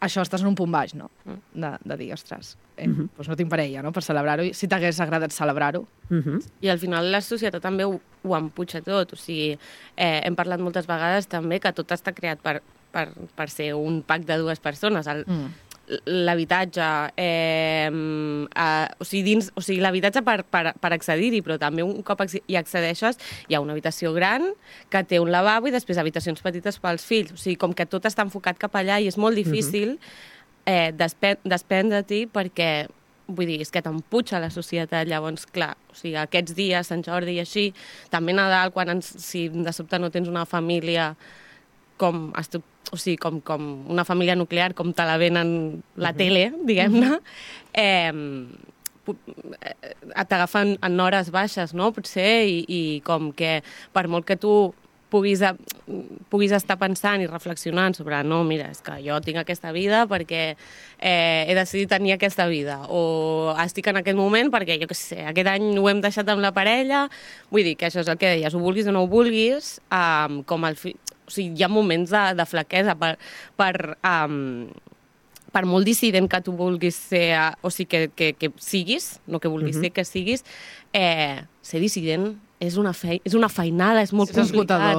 això estàs en un punt baix, no? De, de dir, ostres, eh, uh-huh. doncs no tinc parella, no?, per celebrar-ho, i si t'hagués agradat celebrar-ho. Uh-huh. I al final la societat també ho, ho empuja tot, o sigui, eh, hem parlat moltes vegades també que tot està creat per, per, per ser un pack de dues persones, el, mm. l'habitatge, eh, eh, o sigui, dins, o sigui l'habitatge per, per, per accedir-hi, però també un cop hi accedeixes hi ha una habitació gran que té un lavabo i després habitacions petites pels fills, o sigui, com que tot està enfocat cap allà i és molt difícil uh-huh. eh, despe- desprendre-t'hi perquè vull dir, és que t'empuja la societat, llavors, clar, o sigui, aquests dies, Sant Jordi i així, també Nadal, quan ens, si de sobte no tens una família com, o sigui, com, com una família nuclear, com te la venen la uh-huh. tele, diguem-ne, eh, t'agafen en hores baixes, no?, potser, i, i com que per molt que tu puguis, a, puguis estar pensant i reflexionant sobre no, mira, és que jo tinc aquesta vida perquè eh, he decidit tenir aquesta vida, o estic en aquest moment perquè, jo què sé, aquest any ho hem deixat amb la parella, vull dir que això és el que deies, ho vulguis o no ho vulguis, um, com el fi... o sigui, hi ha moments de, de flaquesa per, per, um, per molt dissident que tu vulguis ser, o sigui, que, que, que siguis, no que vulguis uh-huh. ser, que siguis, eh, ser dissident és una, fei, és una feinada, és molt és complicat.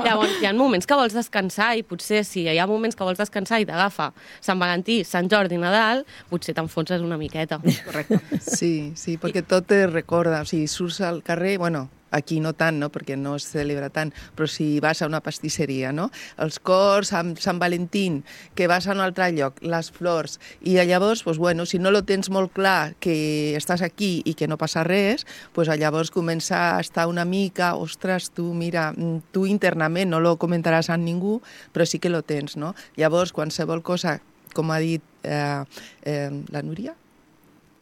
Llavors, hi ha moments que vols descansar i potser si hi ha moments que vols descansar i t'agafa Sant Valentí, Sant Jordi, Nadal, potser t'enfonses una miqueta. Correcte. Sí, sí, perquè tot te recorda. O sigui, surts al carrer, bueno, aquí no tant, no?, perquè no es celebra tant, però si vas a una pastisseria, no?, els cors amb Sant Valentín, que vas a un altre lloc, les flors, i llavors, pues, bueno, si no lo tens molt clar que estàs aquí i que no passa res, pues, llavors comença a estar una mica, ostres, tu, mira, tu internament no lo comentaràs amb ningú, però sí que lo tens, no? Llavors, qualsevol cosa, com ha dit eh, eh, la Núria,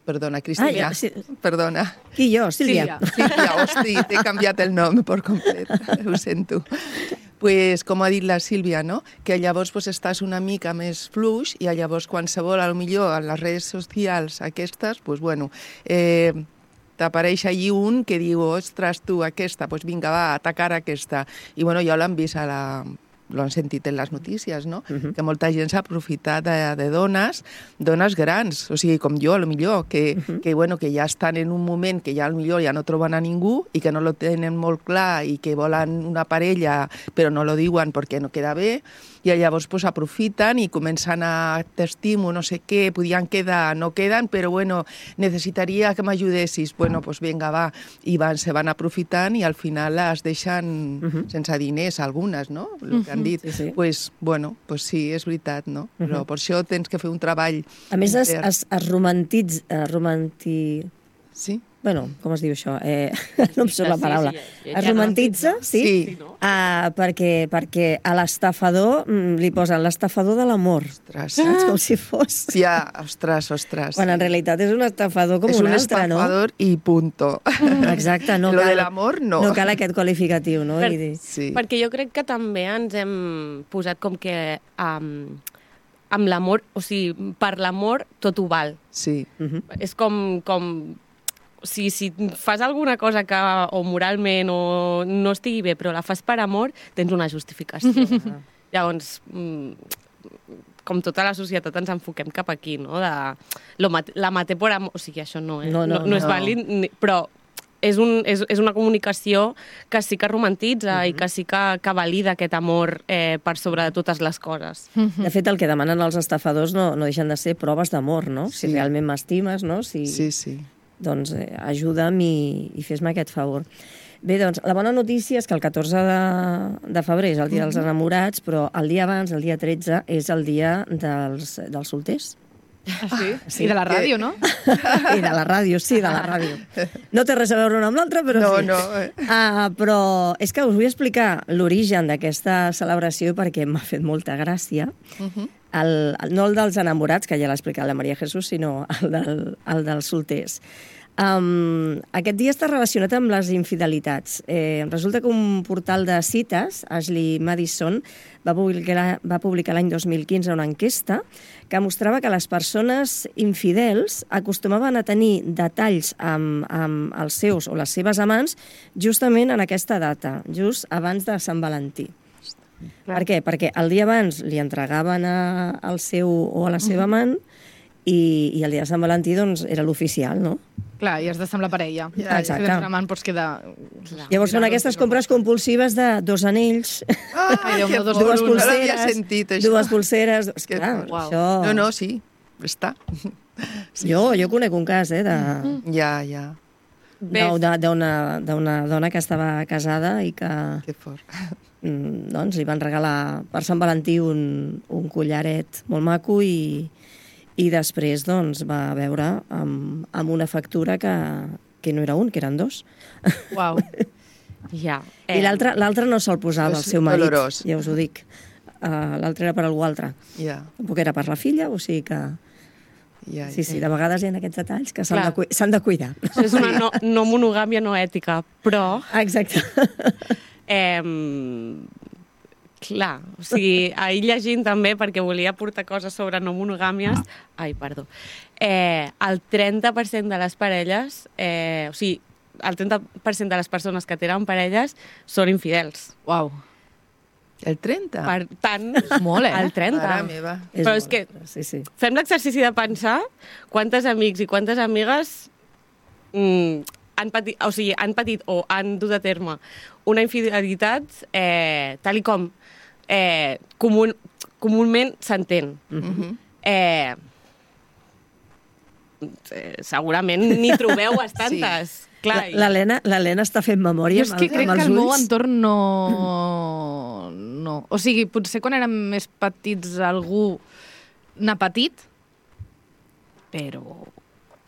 Perdona, Cristina. Ah, ja, sí. Perdona. Qui jo? Sílvia. Sílvia, Sílvia hosti, t'he canviat el nom per complet. Ho sento. pues, com ha dit la Sílvia, no? Que llavors pues, estàs una mica més fluix i llavors qualsevol, a lo millor, a les redes socials aquestes, pues, bueno, eh, t'apareix allí un que diu, ostres, tu, aquesta, doncs vinga, va, atacar aquesta. I bueno, ja l'han vist a la... lo han sentit en les notícies, no? Uh-huh. Que molta gent s'ha aprofitat de, de dones, dones grans, o sigui, com jo, a lo millor, que, uh-huh. que, bueno, que ja estan en un moment que ja a lo millor ja no troben a ningú i que no lo tenen molt clar i que volen una parella però no lo diuen perquè no queda bé, i llavors pues, aprofiten i comencen a t'estimo, no sé què, podien quedar, no queden, però bueno, necessitaria que m'ajudessis. Bueno, pues vinga, va. I van, se van aprofitant i al final les deixen uh-huh. sense diners, algunes, no? El que han dit. Sí, sí. Pues, bueno, pues sí, és veritat, no? Uh-huh. Però per això tens que fer un treball... A més, es, es, es romantitza... Es romanti... Sí? Bueno, com es diu això? Eh, no em surt la paraula. Sí, sí, es romantitza, sí? Sí. Uh, perquè, perquè a l'estafador mm, li posen l'estafador de l'amor. Ostres. Saps? Com si fos... Ja, ostres, ostres. Quan en realitat és un estafador com és un, un altre, no? És un estafador i punto. Exacte, no Lo cal, de l'amor, no. No cal aquest qualificatiu, no? Per, I... sí. Perquè jo crec que també ens hem posat com que um, amb l'amor, o sigui, per l'amor tot ho val. Sí. Uh-huh. És com... com o sigui, si fas alguna cosa que o moralment o no estigui bé, però la fas per amor, tens una justificació. Uh-huh. Llavors, com tota la societat ens enfoquem cap aquí, no? De, lo mate, la maté por amor... O sigui, això no, eh? no, no, no, no és no. vàlid, però és, un, és, és una comunicació que sí que romantitza uh-huh. i que sí que, que valida aquest amor eh, per sobre de totes les coses. Uh-huh. De fet, el que demanen els estafadors no, no deixen de ser proves d'amor, no? Sí. Si realment m'estimes, no? Si... Sí, sí. Doncs eh, ajuda'm i, i fes-me aquest favor. Bé, doncs, la bona notícia és que el catorze de, de febrer és el dia dels enamorats, però el dia abans, el dia tretze, és el dia dels, dels solters. Ah, sí? sí? I de la ràdio, no? I de la ràdio, sí, de la ràdio. No té res a veure una amb l'altra, però no, sí. No, uh, però és que us vull explicar l'origen d'aquesta celebració perquè m'ha fet molta gràcia. Uh-huh. El, el, no el dels enamorats, que ja l'ha explicat la Maria Jesús, sinó el, del, el dels solters. Um, aquest dia està relacionat amb les infidelitats. Eh, resulta que un portal de cites, Ashley Madison, va publicar, va publicar l'any dos mil quinze una enquesta que mostrava que les persones infidels acostumaven a tenir detalls amb, amb els seus o les seves amants justament en aquesta data, just abans de Sant Valentí. Clar. Per què? Perquè el dia abans li entregaven a, al seu o a la seva amant i, i el dia de Sant Valentí doncs, era l'oficial, no? Clar, i has d'estar amb la parella. Ja, exacte. Si tens una amant pots quedar... Llavors són aquestes compres compulsives de dos anells, Ah, Ai, Déu meu, dos dues por uno. No l'havia pulseres, sentit, això. dues pulseres... Esclar, Wow. això... No, no, sí, està. Sí. Jo, jo conec un cas, eh, de... Ja, ja, d'una d'una dona que estava casada i que que fort. mm, doncs, li van regalar per Sant Valentí un, un collaret molt maco i, i després doncs, va veure amb, amb una factura que, que no era un, que eren dos. Uau. Ja. I l'altre l'altre no se'l posava És el seu marit, dolorós. ja us ho dic. Uh, l'altre era per algú altre. Ja, Tampoc era per la filla, o sigui que... ja. Sí, sí, de vegades hi ha aquests detalls que s'han Clar. de, cu s'han de cuidar. Això és una no, no monogàmia no ètica, però... Exacte. Eh, clar, o sigui, ahir llegint també, perquè volia portar coses sobre no monogàmies, ai, perdó, eh, el trenta per cent de les parelles, eh, o sigui, el trenta per cent de les persones que tenen parelles són infidels. Uau. El trenta? Per tant, molt, eh? el trenta. Mare meva. Però és que Sí, sí. fem l'exercici de pensar quantes amics i quantes amigues mm, han, patit, o sigui, han patit o han dut a terme una infidelitat eh, tal i com eh, comun, comunment s'entén. Mhm. Eh, eh, segurament n'hi trobeu bastantes. Sí. Clar, i- L'Helena l'Helena està fent memòria Jo és amb, que el- crec amb que els el meu ulls. entorn no... no. O sigui, potser quan érem més petits algú n'ha patit, però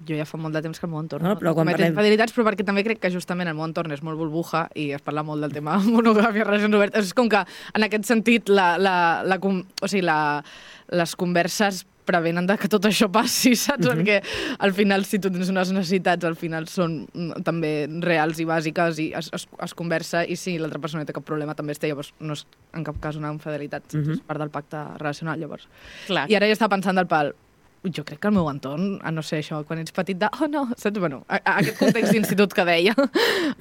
jo ja fa molt de temps que el meu entorn No, no, però no quan comet parlem- infidelitats, però perquè també crec que justament el meu entorn és molt burbuja i es parla molt del tema monogàmia, relacions obertes. És com que, en aquest sentit, la, la, la, com- o sigui, la, les converses prevenen de que tot això passi, saps? Mm-hmm. Perquè al final, si tu tens unes necessitats, al final són també reals i bàsiques i es, es, es conversa, i si l'altra persona no té cap problema també es té, llavors no és en cap cas una infidelitat, mm-hmm. és part del pacte relacional, llavors. Clar. I ara ja estava pensant del pal, jo crec que el meu entorn, a no ser això, quan ets petit de, oh no, saps? Bueno, a, a aquest context d'institut que deia,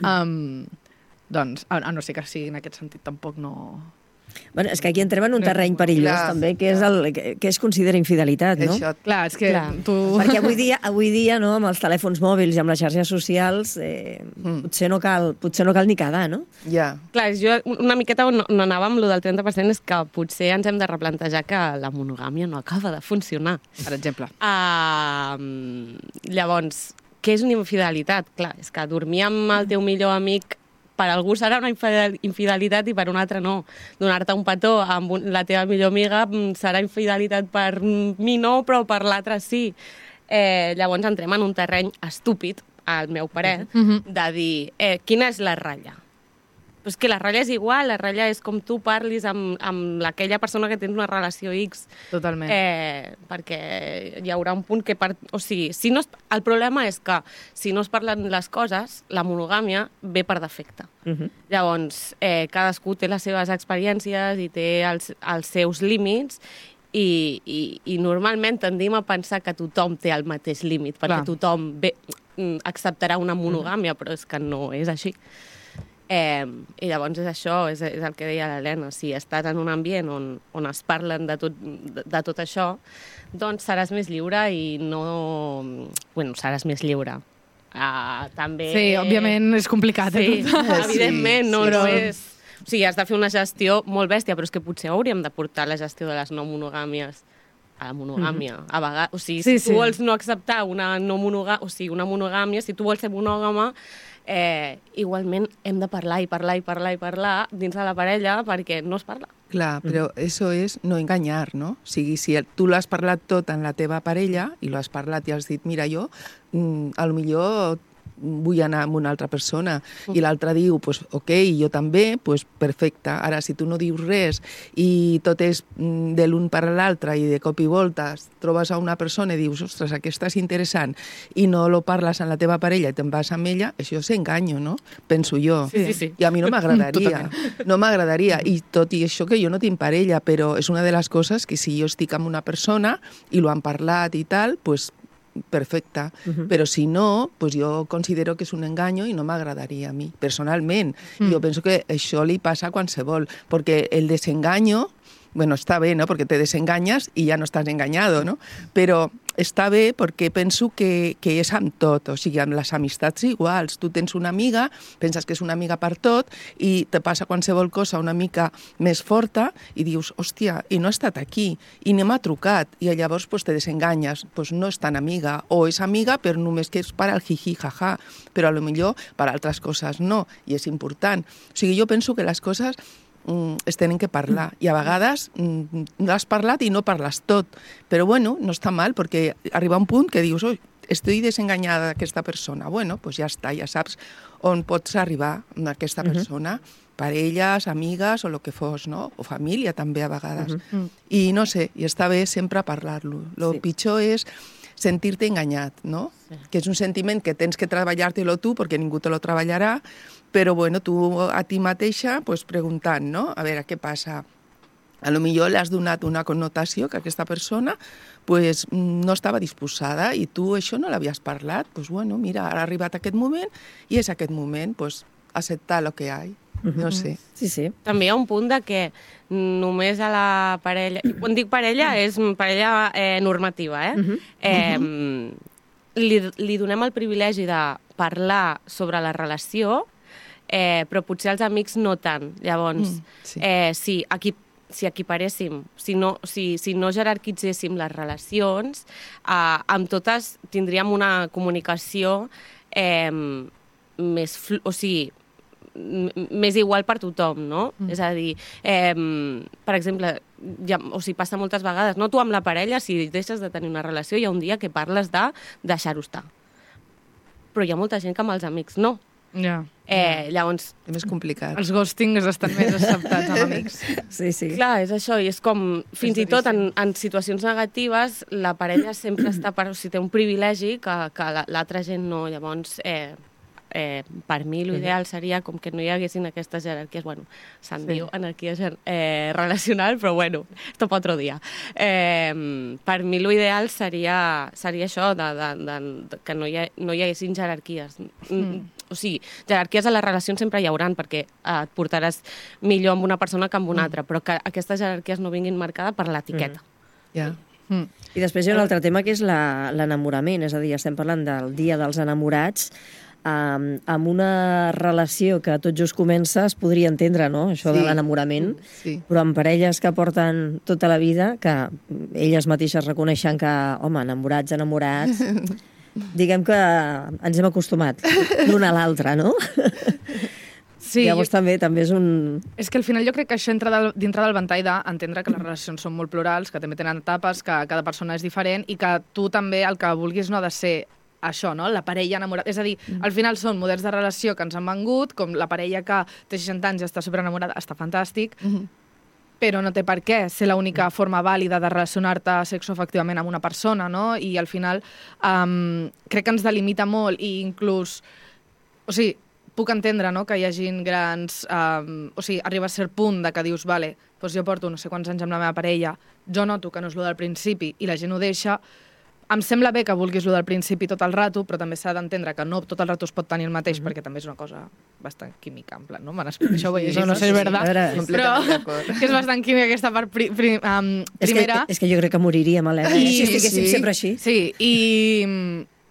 um, doncs, a, a no ser que sigui en aquest sentit, tampoc no... Bueno, és que aquí entrem en un terreny perillós, Clar, també, que és el que, que es considera infidelitat, no? Això, Clar, és que Clar. tu... Perquè avui dia, avui dia no, amb els telèfons mòbils i amb les xarxes socials, eh, Mm. potser, no cal, potser no cal ni quedar, no? ja. Clar, jo una miqueta on on anava amb lo del trenta per cent és que potser ens hem de replantejar que la monogàmia no acaba de funcionar. Per exemple. Uh, llavors, què és una infidelitat? Clar, és que dormir amb el teu millor amic per algú serà una infidel- infidelitat i per un altre no. Donar-te un petó amb un, la teva millor amiga mm, serà infidelitat per mi no, però per l'altre sí. Eh, llavors entrem en un terreny estúpid, al meu parer, Mhm. de dir, eh, quina és la ratlla? Però és que la ratlla és igual, la ratlla és com tu parlis amb, amb aquella persona que tens una relació X. Totalment. Eh, perquè hi haurà un punt que... Per, o sigui, si no es, el problema és que si no es parlen les coses, la monogàmia ve per defecte. Uh -huh. Llavors, eh, cadascú té les seves experiències i té els, els seus límits i, i, i normalment tendim a pensar que tothom té el mateix límit, perquè Clar. tothom ve, mm, acceptarà una monogàmia, però és que no és així. Eh, I llavors és això, és, és el que deia l'Helena, si estàs en un ambient on, on es parlen de tot, de, de tot això, doncs seràs més lliure i no... Bueno, seràs més lliure. Uh, també... Sí, òbviament és complicat. Sí, Eh, tot. evidentment, no, sí, no però- és... O sigui, has de fer una gestió molt bèstia, però és que potser hauríem de portar la gestió de les no monogàmies a la monogàmia. Mm -hmm. A vegades, o sigui, Sí, si sí. tu vols no acceptar una no monogàmia, o sigui, una monogàmia, si tu vols ser monògama, eh, igualment hem de parlar i parlar i parlar i parlar dins de la parella perquè no es parla. Clar, però això és no enganyar, no? O sigui, si el- tu l'has parlat tot en la teva parella i l'has parlat i has dit, mira, jo, mm, a lo millor vull anar amb una altra persona, i l'altre diu, pues, ok, jo també, pues, perfecte. Ara, si tu no dius res i tot és mm, de l'un per l'altre i de cop i volta trobes a una persona i dius, ostres, aquesta és interessant, i no lo parles amb la teva parella i te'n vas amb ella, això és enganyo, no? Penso jo. Sí, sí, sí. I a mi no m'agradaria. Totalment. No m'agradaria. I tot i això que jo no tinc parella, però és una de les coses que si jo estic amb una persona i lo han parlat i tal, pues perfecte. Uh-huh. Però si no, pues jo considero que és un enganyo i no m'agradaria a mi, personalment. Mm. Jo penso que això li passa a qualsevol, perquè el desenganyo, bueno, està bé, no?, perquè te desenganyes i ja no estàs enganyado, no? Però està bé perquè penso que, que és amb tot, o sigui, amb les amistats iguals. Tu tens una amiga, penses que és una amiga per tot i te passa qualsevol cosa una mica més forta i dius, hòstia, i no ha estat aquí, i no m'ha trucat, i llavors pues, te desenganyes, pues, no és tan amiga, o és amiga però només que és per al jiji, jaja, però a lo millor per altres coses no, i és important. O sigui, jo penso que les coses es tenen que parlar, i a vegades no has parlat i no parles tot, però bueno, no està mal, perquè arriba un punt que dius, oi, estic desenganyada d'aquesta persona, bueno, doncs ja està, ja saps on pots arribar amb aquesta persona, uh-huh. parelles, amigues o el que fos, no? O família també a vegades. Uh-huh. I no sé, i està bé sempre parlar-lo. El sí. pitjor és sentir-te enganyat, no? Sí. Que és un sentiment que tens que treballar-te-lo tu, perquè ningú te lo treballarà, però bueno, tu a ti mateixa pues, preguntant, no? A veure, què passa? A lo millor l'has donat una connotació que aquesta persona pues, no estava disposada i tu això no l'havies parlat. Pues, bueno, mira, ara ha arribat aquest moment i és aquest moment, pues, acceptar el que hi ha. No sé. Sí, sí. També hi ha un punt de que només a la parella... Quan dic parella, és parella eh, normativa, eh? Uh-huh. eh li, li donem el privilegi de parlar sobre la relació, eh, però potser els amics no tant. Llavors, mm, sí. eh, si, aquí, si equiparéssim, si no, si, si no jerarquitzéssim les relacions, eh, amb totes tindríem una comunicació eh, més... Flu, o sigui, més igual per tothom, no? Mm. És a dir, eh, per exemple, ja, o sigui, passa moltes vegades, no? Tu amb la parella, si deixes de tenir una relació, hi ha un dia que parles de deixar-ho estar. Però hi ha molta gent que amb els amics no. Ja. Eh, llavors, És més complicat. Els ghostings estan més acceptats amb amics. Sí, sí. clar, és això, i és com, fins i tot en, en situacions negatives, la parella sempre està, per, o sigui, té un privilegi que, que la- l'altra gent no, llavors... Eh, Eh, per mi l'ideal seria com que no hi haguessin aquestes jerarquies, bueno, se'n Sí. diu anarquia eh, relacional, però bueno, esto pa otro dia. Eh, per mi l'ideal seria, seria això, de, de, de, de, que no hi, ha, no hi haguessin jerarquies. Mm. O sigui, jerarquies a les relacions sempre hi hauran, perquè eh, et portaràs millor amb una persona que amb una altra, però que aquestes jerarquies no vinguin marcades per l'etiqueta. Ja. Mm. I després hi ha un altre tema que és la- l'enamorament, és a dir, estem parlant del dia dels enamorats, um, amb una relació que tot just comença es podria entendre, no?, això de Sí. l'enamorament, Sí. però amb parelles que porten tota la vida, que elles mateixes reconeixen que, home, enamorats, enamorats, diguem que ens hem acostumat l'un a l'altre, no? Sí, Llavors jo, també també és un... és que al final jo crec que això entra del, dintre del ventall d'entendre que les relacions són molt plurals, que també tenen etapes, que cada persona és diferent i que tu també el que vulguis no ha de ser això, no? La parella enamorada. És a dir, al final són models de relació que ens han vengut, com la parella que té seixanta anys i està superenamorada, està fantàstic, però no té per què ser l'única forma vàlida de relacionar-te sexoafectivament amb una persona, no? I al final um, crec que ens delimita molt i inclús... O sigui, puc entendre, no?, que hi hagin grans... Um, o sigui, arriba a cert punt de que dius, vale, doncs jo porto no sé quants anys amb la meva parella, jo noto que no és lo del principi i la gent ho deixa. Em sembla bé que vulguis lo del principi tot el rato, però també s'ha d'entendre que no tot el rato es pot tenir el mateix, mm -hmm. perquè també és una cosa bastant química, en plan, no? Me n'explico, això ho vull llegir, no sé si és Sí, verdad, a veure, però completament d'acord. que és bastant química aquesta part pri, pri, um, És que, primera. és que jo crec que moriríem, Helena, eh? si estiguéssim sí. sempre així. Sí, i,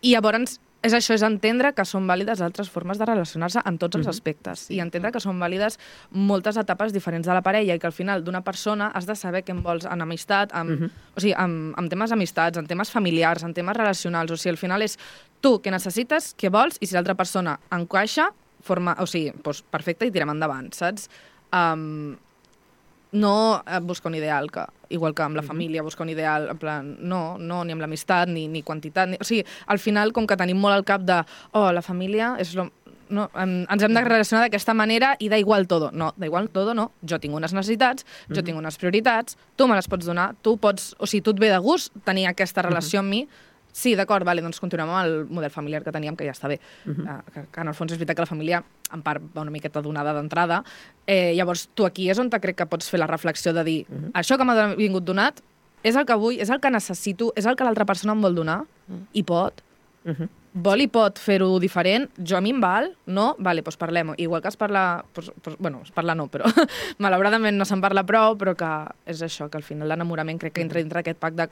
i llavors és això, és entendre que són vàlides altres formes de relacionar-se en tots els aspectes i entendre que són vàlides moltes etapes diferents de la parella i que al final d'una persona has de saber què en vols en amistat, amb, o sigui, amb, amb temes amistats, en temes familiars, en temes relacionals. O sigui, al final és tu què necessites, què vols i si l'altra persona encaixa, forma, o sigui, doncs perfecte i tirem endavant, saps? Um, no eh, buscar un ideal, que, igual que amb la família, buscar un ideal, en plan, no, no, ni amb l'amistat, ni, ni quantitat, ni... O sigui, al final, com que tenim molt al cap de, oh, la família és lo... No, em, ens hem de relacionar d'aquesta manera i da igual todo. No, da igual todo no. Jo tinc unes necessitats, jo tinc unes prioritats, tu me les pots donar, tu pots... O sigui, tu et ve de gust tenir aquesta relació amb mi. Sí, d'acord, vale, doncs continuem amb el model familiar que teníem, que ja està bé. Uh -huh. uh, que, que en el fons és veritat que la família, en part, va una miqueta donada d'entrada. Eh, llavors, tu aquí és on te crec que pots fer la reflexió de dir, uh -huh. això que m'ha vingut donat és el que vull, és el que necessito, és el que l'altra persona em vol donar, uh -huh. i pot. Uh -huh. Vol i pot fer-ho diferent, jo a mi em val, no? Vale, doncs parlem-ho. Igual que es parla... Pues, pues, bueno, es parla no, però malauradament no se'n parla prou, però que és això, que al final l'enamorament crec que entra dintre aquest pack de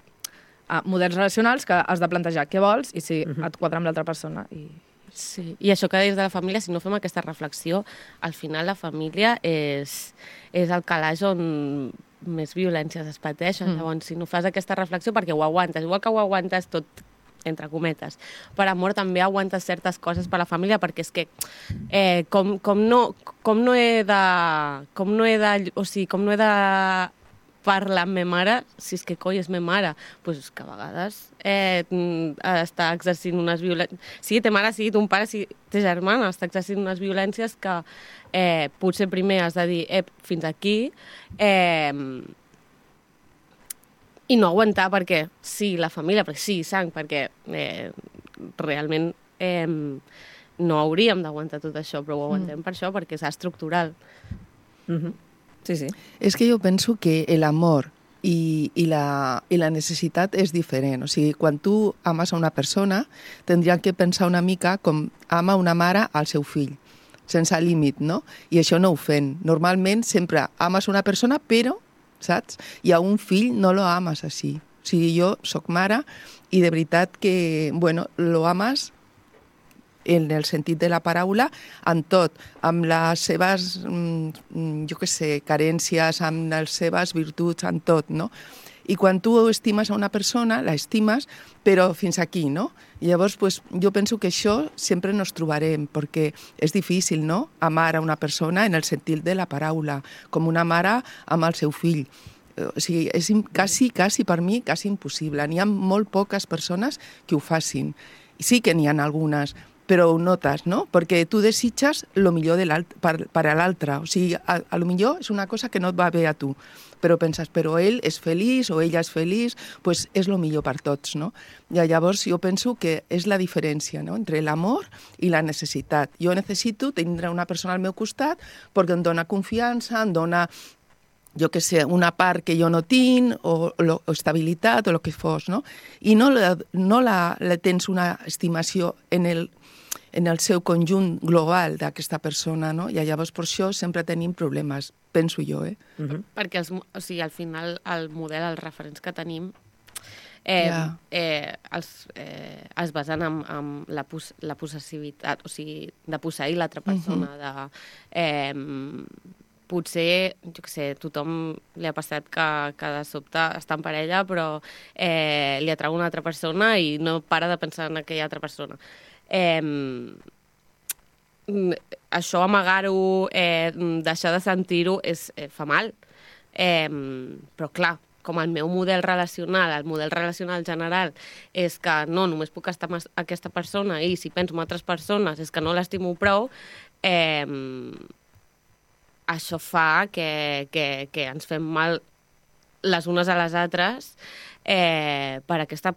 uh, models relacionals que has de plantejar què vols i si uh-huh. et quadra amb l'altra persona. I... Sí, i això que deies de la família, si no fem aquesta reflexió, al final la família és, és el calaix on més violències es pateixen. Mm. Llavors, si no fas aquesta reflexió, perquè ho aguantes, igual que ho aguantes tot entre cometes. Per amor també aguantes certes coses per la família, perquè és que eh, com, com, no, com no he de... Com no he de... O sigui, com no he de parlar amb ma mare, si és que coi és ma mare, doncs que a vegades eh, està exercint unes violències... Sigui té mare, sigui ton pare, sigui té germana, està exercint unes violències que eh, potser primer has de dir eh, fins aquí, eh, i no aguantar perquè sí, la família, perquè sí, sang, perquè eh, realment eh, no hauríem d'aguantar tot això, però ho aguantem mm. per això, perquè és estructural. Uh-huh. Sí, sí. És que jo penso que l'amor i, i, la, i la necessitat és diferent. O sigui, quan tu ames a una persona, tindries que pensar una mica com ama una mare al seu fill, sense límit, no? I això no ho fem. Normalment sempre ames una persona, però saps? I a un fill no lo ames així. O sigui, jo soc mare i de veritat que, bueno, lo ames en el sentit de la paraula, en tot, amb les seves, jo què sé, carències, amb les seves virtuts, en tot, no? I quan tu estimes a una persona, la estimes, però fins aquí, no? I llavors, pues, jo penso que això sempre nos trobarem, perquè és difícil, no?, amar a una persona en el sentit de la paraula, com una mare amb el seu fill. O sigui, és quasi, quasi per mi, quasi impossible. N'hi ha molt poques persones que ho facin. Sí que n'hi ha algunes, però ho notes, no? Perquè tu desitges el millor de per, per a l'altre. O sigui, a, a lo millor és una cosa que no et va bé a tu, però penses, però ell és feliç o ella és feliç, doncs és el millor per tots, no? I llavors jo penso que és la diferència, no?, entre l'amor i la necessitat. Jo necessito tindre una persona al meu costat perquè em dona confiança, em dona, jo que sé, una part que jo no tinc, o, o, o estabilitat, o el que fos, no? I no, la, no la, la tens una estimació en el en el seu conjunt global d'aquesta persona, no? I llavors per això sempre tenim problemes, penso jo, eh? Uh-huh. Perquè els, o sigui, al final el model, els referents que tenim eh, yeah. eh, els, eh, es basen en, en la, pos, la possessivitat, o sigui, de posseir l'altra persona, uh-huh. de... Eh, potser, jo què sé, tothom li ha passat que, que de sobte està en parella, però eh, li atrau una altra persona i no para de pensar en aquella altra persona. Eh, això, amagar-ho, eh, deixar de sentir-ho, és, eh, fa mal. Eh, però, clar, com el meu model relacional, el model relacional general, és que no, només puc estar amb aquesta persona i si penso en altres persones és que no l'estimo prou, eh, això fa que, que, que ens fem mal les unes a les altres eh, per aquesta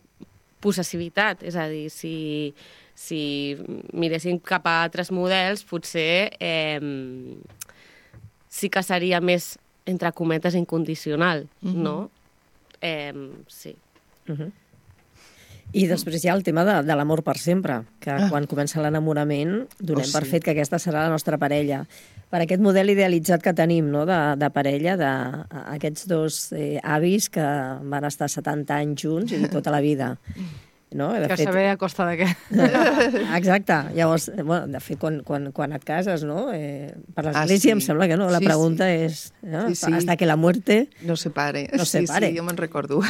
possessivitat. És a dir, si, si miréssim cap a altres models, potser eh, sí que seria més, entre cometes, incondicional, mm-hmm. no? Eh, sí. Mm-hmm. I després hi ha el tema de, de l'amor per sempre, que ah. quan comença l'enamorament donem oh, sí. per fet que aquesta serà la nostra parella. Per aquest model idealitzat que tenim, no?, de, de parella, d'aquests dos eh, avis que van estar setanta anys junts i tota la vida. No? De que fet... saber a costa de què. Exacte. Llavors, bueno, de fet, quan, quan, quan et cases, no? Eh, per l'església ah, sí. em sembla que no. La sí, pregunta sí. és no? sí, sí. hasta que la muerte no se pare. No se sí, pare. Sí, jo me'n recordo.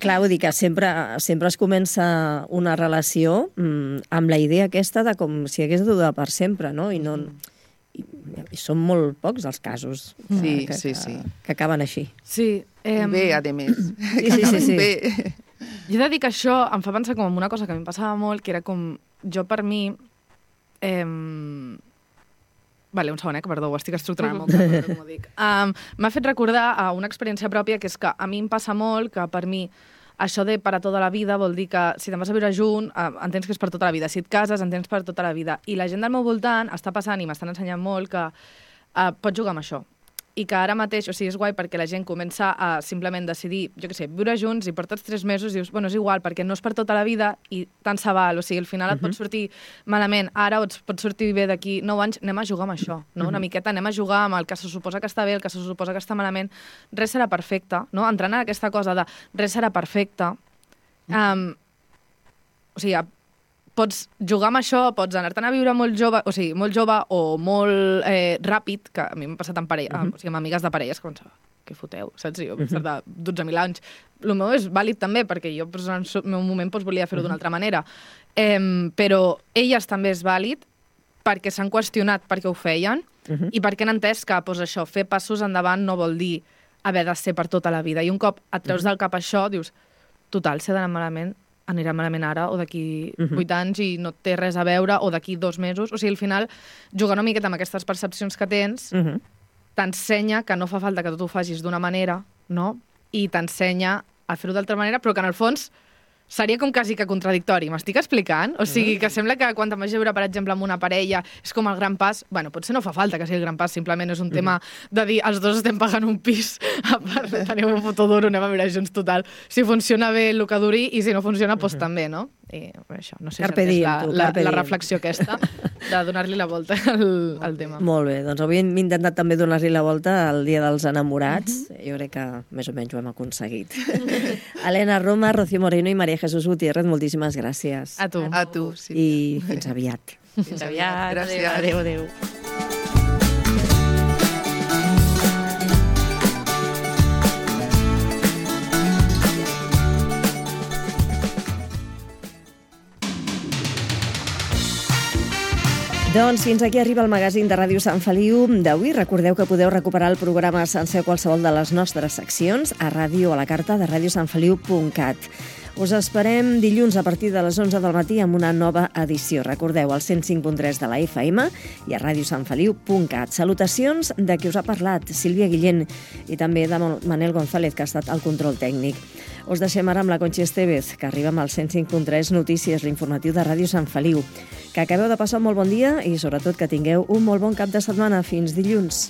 Clar, vull dir que sempre, sempre es comença una relació mmm, amb la idea aquesta de com si hagués de durar per sempre, no? I no... I, i són molt pocs els casos que, sí, que, sí, que, sí. que acaben així. Sí. Eh, bé, a més. Sí, sí, sí, sí. Bé. Jo he de dir que això em fa pensar com en una cosa que a mi em passava molt, que era com, jo per mi... Eh, vale, un segon, eh, que perdó, ho estic estructurant molt, uh-huh. molt, com ho dic. Um, M'ha fet recordar a una experiència pròpia, que és que a mi em passa molt que per mi això de per a tota la vida vol dir que si te'n vas a viure junt, eh, entens que és per tota la vida. Si et cases, entens per tota la vida. I la gent del meu voltant està passant, i m'estan ensenyant molt, que eh, pots jugar amb això. I que ara mateix, o sigui, és guai perquè la gent comença a simplement decidir, jo què sé, viure junts i portes tres mesos i dius, bueno, és igual, perquè no és per tota la vida i tant se val. O sigui, al final et uh-huh. pot sortir malament, ara o et pot sortir bé d'aquí nou anys, anem a jugar amb això, no? Uh-huh. Una miqueta anem a jugar amb el que se suposa que està bé, el que se suposa que està malament. Res serà perfecte, no? Entrant en aquesta cosa de res serà perfecte. Um, o sigui, pots jugar amb això, pots anar-te'n a viure molt jove, o sigui, molt jove o molt eh, ràpid, que a mi m'ha passat amb, parella, uh-huh. o sigui, amb amigues de parelles, que pensava, què foteu, saps? Jo, uh-huh. de dotze mil anys. El meu és vàlid també, perquè jo pues, en el meu moment pues, volia fer-ho uh-huh. d'una altra manera. Eh, però elles també és vàlid perquè s'han qüestionat perquè ho feien uh-huh. i perquè han entès que pues, això, fer passos endavant no vol dir haver de ser per tota la vida. I un cop et treus uh-huh. del cap això, dius, total, si ha d'anar malament, anirà malament ara o d'aquí uh-huh. vuit anys i no té res a veure, o d'aquí dos mesos. O sigui, al final, jugar una miqueta amb aquestes percepcions que tens uh-huh. t'ensenya que no fa falta que tu ho facis d'una manera, no? I t'ensenya a fer-ho d'altra manera, però que en el fons seria com quasi que contradictori. M'estic explicant? O sigui, que sembla que quan te'n vagi a viure, per exemple, amb una parella, és com el gran pas... Bueno, potser no fa falta que sigui el gran pas, simplement és un uh-huh. tema de dir els dos estem pagant un pis, a part teniu un fotoduro, anem a viure junts total. Si funciona bé el que duri i si no funciona, doncs uh-huh. també, no? I això, no sé carpe si és diem, la, tu, la, carpe la diem. reflexió aquesta de donar-li la volta al, al tema. Molt bé, doncs avui hem intentat també donar-li la volta al Dia dels Enamorats. Uh-huh. Jo crec que més o menys ho hem aconseguit. Elena Roma, Rocío Moreno i María Jesús Gutiérrez, moltíssimes gràcies. A tu. A tu, sí. I fins aviat. Fins aviat. Gràcies. Adéu, adéu. Doncs fins aquí arriba el magazín de Ràdio Sant Feliu d'avui. Recordeu que podeu recuperar el programa sencer qualsevol de les nostres seccions a ràdio a la carta de radiosantfeliu punt cat. Us esperem dilluns a partir de les onze del matí amb una nova edició. Recordeu, al cent cinc punt tres de la F M i a radio sant feliu punt cat. Salutacions de qui us ha parlat, Sílvia Guillén, i també de Manel González, que ha estat al control tècnic. Us deixem ara amb la Conchi Estevez, que arriba amb el cent cinc punt tres Notícies, l'informatiu de Ràdio Sant Feliu. Que acabeu de passar un molt bon dia i, sobretot, que tingueu un molt bon cap de setmana. Fins dilluns.